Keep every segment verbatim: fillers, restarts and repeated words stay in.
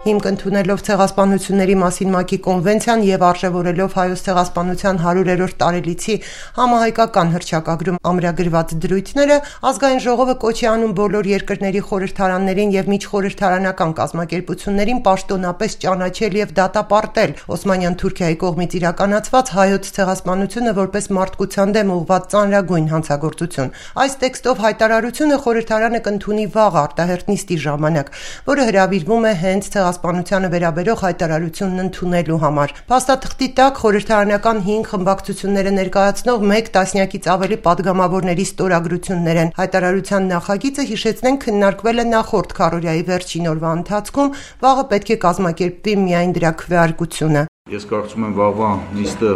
Հիմք ընդունելով ցեղասպանությունների մասին ՄԱԿ-ի կոնվենցիան եւ արժեվորելով Հայոց ցեղասպանության հարյուրերորդ տարելիցի համահայկական հռչակագրում ամրագրված դրույթները, Ազգային ժողովը կոչ է անում բոլոր երկրների խորհրդարաններին եւ միջխորհրդարանական կազմակերպություններին պաշտոնապես ճանաչել եւ դատապարտել Օսմանյան Թուրքիայի կողմից իրականացված հայոց ցեղասպանությունը որպես մարդկության դեմ ուղղված ծանրագույն հանցագործություն։ Այս տեքստով հայտարարությունը խորհրդարանը կընդունի վաղ արտահերթ նիստի ժամանակ, որը հրավիրվում է հենց ցեղասպանությանը վերաբերող հայտարարությունն ընդունելու համար։ Փաստաթղթի տակ խորհրդարանական հինգ խմբակցությունները ներկայացնող մեկ տասնյակից ավելի падգամավորների ստորագրություններ են։ Հայտարարության նախագիծը, հիշեցնենք, քննարկվել է նախորդ քառօրյայի վերջին օրվա ընթացքում, վաղը պետք է կազմակերպվի միայն դրա քվեարկությունը։ Ես կարծում եմ վաղվա նիստը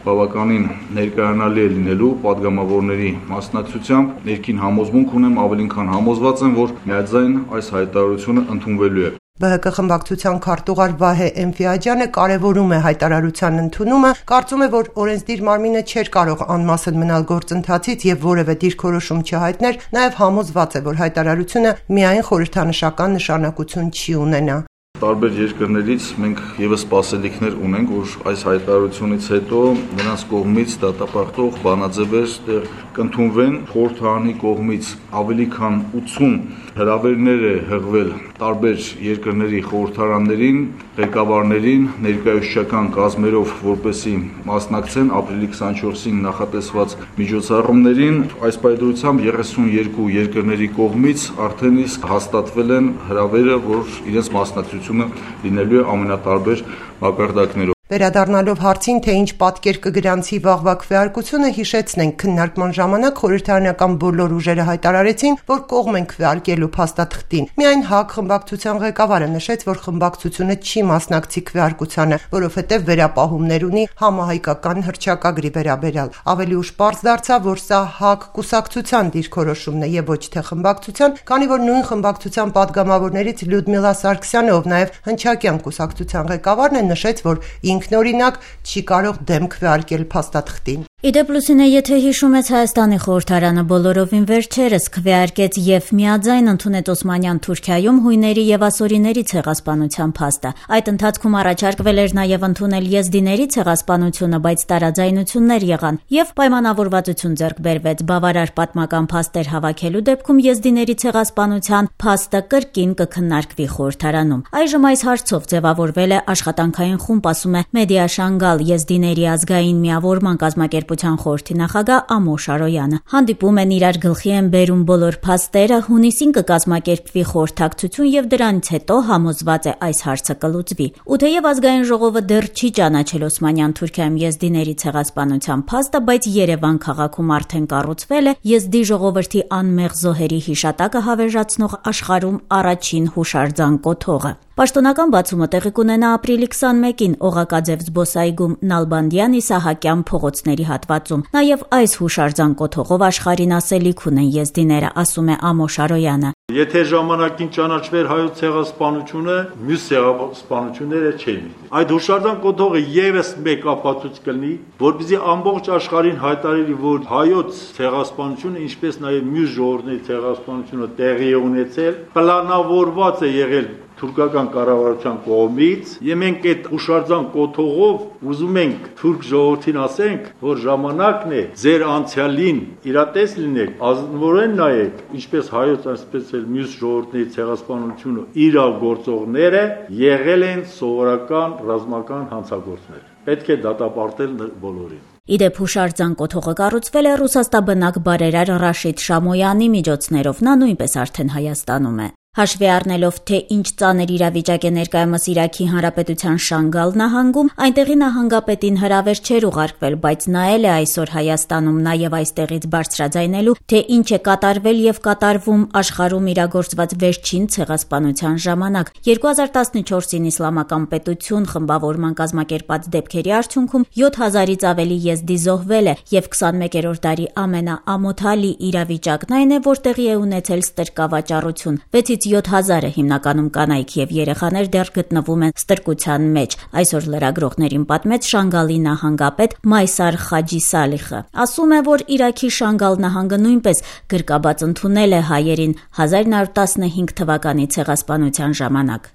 բավականին ներկայանալի է լինելու падգամավորների մասնակցությամբ, ներքին համոզմունք ունեմ, ավելին քան համոզված եմ, որ միաձայն այս հայտարարությունը ընդունվելու է։ ԲՀԿ խմբակցության քարտուղար Վահե Էնֆիաջյանը կարևորում է հայտարարության ընդունումը, կարծում է, որ օրենսդիր մարմինը չէր կարող անմասն մնալ գործընթացից եւ որևէ դիրքորոշում չհայտներ, նաեւ համոզված է, որ հայտարարությունը միայն խորհրդանշական նշանակություն չի ունենա։ Տարբեր երկրներից մենք եւս սպասելիքներ ունենք, որ այս հայտարարությունից հետո նրանց կողմից դատապարտող բանաձևեր դեռ կընդունվեն։ Խորհրդարանի կողմից ավելի քան ութսուն հրավերներ է հղվել տարբեր երկրների խորհրդարաններին, ղեկավարներին, ներկայացուցչական կազմերով, որպեսզի մասնակցեն ապրիլի քսանչորսին նախատեսված միջոցառումներին։ Այս պայմանությամբ երեսունյոթ երկրների կողմից արդեն իսկ հաստատվել են հրավերը, որ իրենց մասնակցությունը լինելու է ամենատարբեր մակարդակներով։ Վերադառնալով հարցին, թե ինչ պատկեր կգրանցի վաղվա քվեարկությունը, հիշեցնենք, քննարկման ժամանակ խորհրդարանական բոլոր ուժերը հայտարարեցին, որ կողմ են քվեարկելու փաստաթղթին։ Միայն ՀԱԿ խմբակցության ղեկավարը նշեց, որ խմբակցությունը չի մասնակցի քվեարկությանը, որովհետև վերապահումներ ունի համահայկական հռչակագրի վերաբերյալ։ Ավելի ուշ պարզ դարձավ, որ սա ՀԱԿ կուսակցության դիրքորոշումն է եւ ոչ թե խմբակցության, քանի որ նույն խմբակցության падգամավորներից Լյուդմիլա Սարգսյանը, ով նաեւ Հնչակյան կուսակցության ղեկավարն է, նշեց, որ ինքնօրինակ չի կարող դեմ քվեարկել փաստաթղթին։ Իդեպ Լուսինե, եթե հիշում ես, Հայաստանի խորհրդարանը բոլորովին վերջերս քվեարկեց եւ միաձայն ընդունեց Օսմանյան Թուրքիայում հույների եւ ասորիների ցեղասպանության փաստը։ Այդ ընթացքում առաջարկվել էր նաեւ ընդունել եզդիների ցեղասպանությունը, բայց տարաձայնություններ եղան եւ պայմանավորվածություն ձեռք բերվեց բավարար պատմական փաստեր հավաքելու դեպքում եզդիների ցեղասպանության փաստը կրկին կքննարկվի խորհրդարանում։ Այժմ այս հարցով ձևավորվել է աշխատանքային խումբ, ասում է Մեդիա Շանգալ եզդիների ազգային միավորման կազմակերպության խորհրդի նախագահ Ամոշ Արոյանը։ Հանդիպում են, իրար գլխի են բերում բոլոր փաստերը, հունիսին կկազմակերպվի խորհրդակցություն եւ դրանից հետո համոզված է այս հարցը կլուծվի։ Ու թեև ազգային ժողովը դեռ չի ճանաչել Օսմանյան Թուրքիայում եզդիների ցեղասպանության փաստը, բայց Երևան քաղաքում արդեն կառուցվել է եզդի ժողովրդի անմեղ զոհերի հիշատակը հավերժացնող աշխարհում առաջին հուշարձան կոթողը։ Պաշտոնական բացումը տեղի կունենա ապրիլի քսանմեկին Օղակաձև զբոսայգում Նալբանդյան Իսահակյան փողոցների հատվածում։ Նաև այս հուշարձան կոթողով աշխարհին ասելիք ունեն եզդիները, ասում է Ամոշ Արոյանը։ Եթե ժամանակին ճանաչվեր հայոց ցեղասպանությունը, մյուս ցեղասպանությունները չէին։ Այդ հուշարձան կոթողը եւս մեկ ապացույց կլինի, որպեսզի ամբողջ աշխարհին հայտարարի, որ հայոց ցեղասպանությունը, ինչպես նաև մյուս ժողովուրդների ցեղասպանությունը տեղի է ունեցել, պլանավորված է եղել թուրքական կառավարության կողմից, եւ մենք այդ հուշարձան կոթողով ուզում ենք թուրք ժողովրդին ասենք, որ ժամանակն է ձեր անցյալին իրատես լինեք, ազնվորեն նայեք, ինչպես հայոց, այսպես էլ մյուս ժողովուրդների ցեղասպանությունը իրագործողները եղել են սովորական ռազմական հանցագործներ։ Պետք է դատապարտել բոլորին։ Իդեպ հուշարձան կոթողը կառուցվել է ռուսաստաբնակ բարերար Ռաշիդ Շամոյանի միջոցներով, նա նույնպես արդեն Հայաստանում է։ Հաշվի առնելով, թե ինչ ծանր իրավիճակ է ներկայումս Իրաքի Հանրապետության Շանգալ նահանգում, այնտեղի նահանգապետին հրավեր չէր ուղարկվել, բայց նա էլ է այսօր Հայաստանում նաև այստեղից բարձրաձայնելու, թե ինչ է կատարվել եւ կատարվում աշխարհում իրագործված վերջին ցեղասպանության ժամանակ։ երկու հազար տասնչորսին Իսլամական պետություն խմբավորման կազմակերպած դեպքերի արդյունքում յոթ հազարից ավելի եզդի զոհվել է եւ քսանմեկերորդ դարի ամենաամոթալի իրավիճակն այն է, որ տեղի է ունեցել ստրկավաճառություն։ վեցից յոթից յոթ հազարը հիմնականում կանայք եւ երեխաներ դեռ գտնվում են ստրկության մեջ, այսօր լրագրողներին պատմեց Շանգալի նահանգապետ Մայսար Խաջի Սալիխը։ Ասում է, որ Իրաքի Շանգալ նահանգը նույնպես գրկաբաց ընդունել է հայերին հազար նոր տասնհինգ թվականի ցեղասպանության ժամանակ։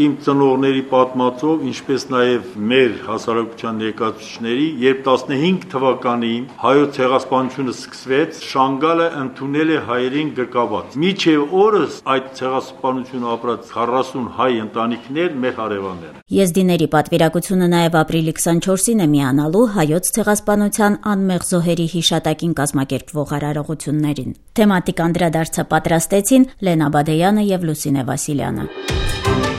Իմ ծնողների պատմածով, ինչպես նաև մեր հասարակության ներկայացուցիչների, երբ տասնհինգ թվականին հայոց ցեղասպանությունը սկսվեց, Շանգալը ընդունել է հայերին գրկաբաց։ Մինչև օրս այդ ցեղասպանությունը ապրած քառասուն հայ ընտանիքներ մեր հարևաններ են։ Եզդիների պատվիրակությունը նաև ապրիլի քսանչորսին է միանալու հայոց ցեղասպանության անմեղ զոհերի հիշատակին կազմակերպվող արարողություններին։ Թեմատիկ անդրադարձը պատրաստեցին Լենա Բադեյանը եւ Լուսինե Վասիլյանը։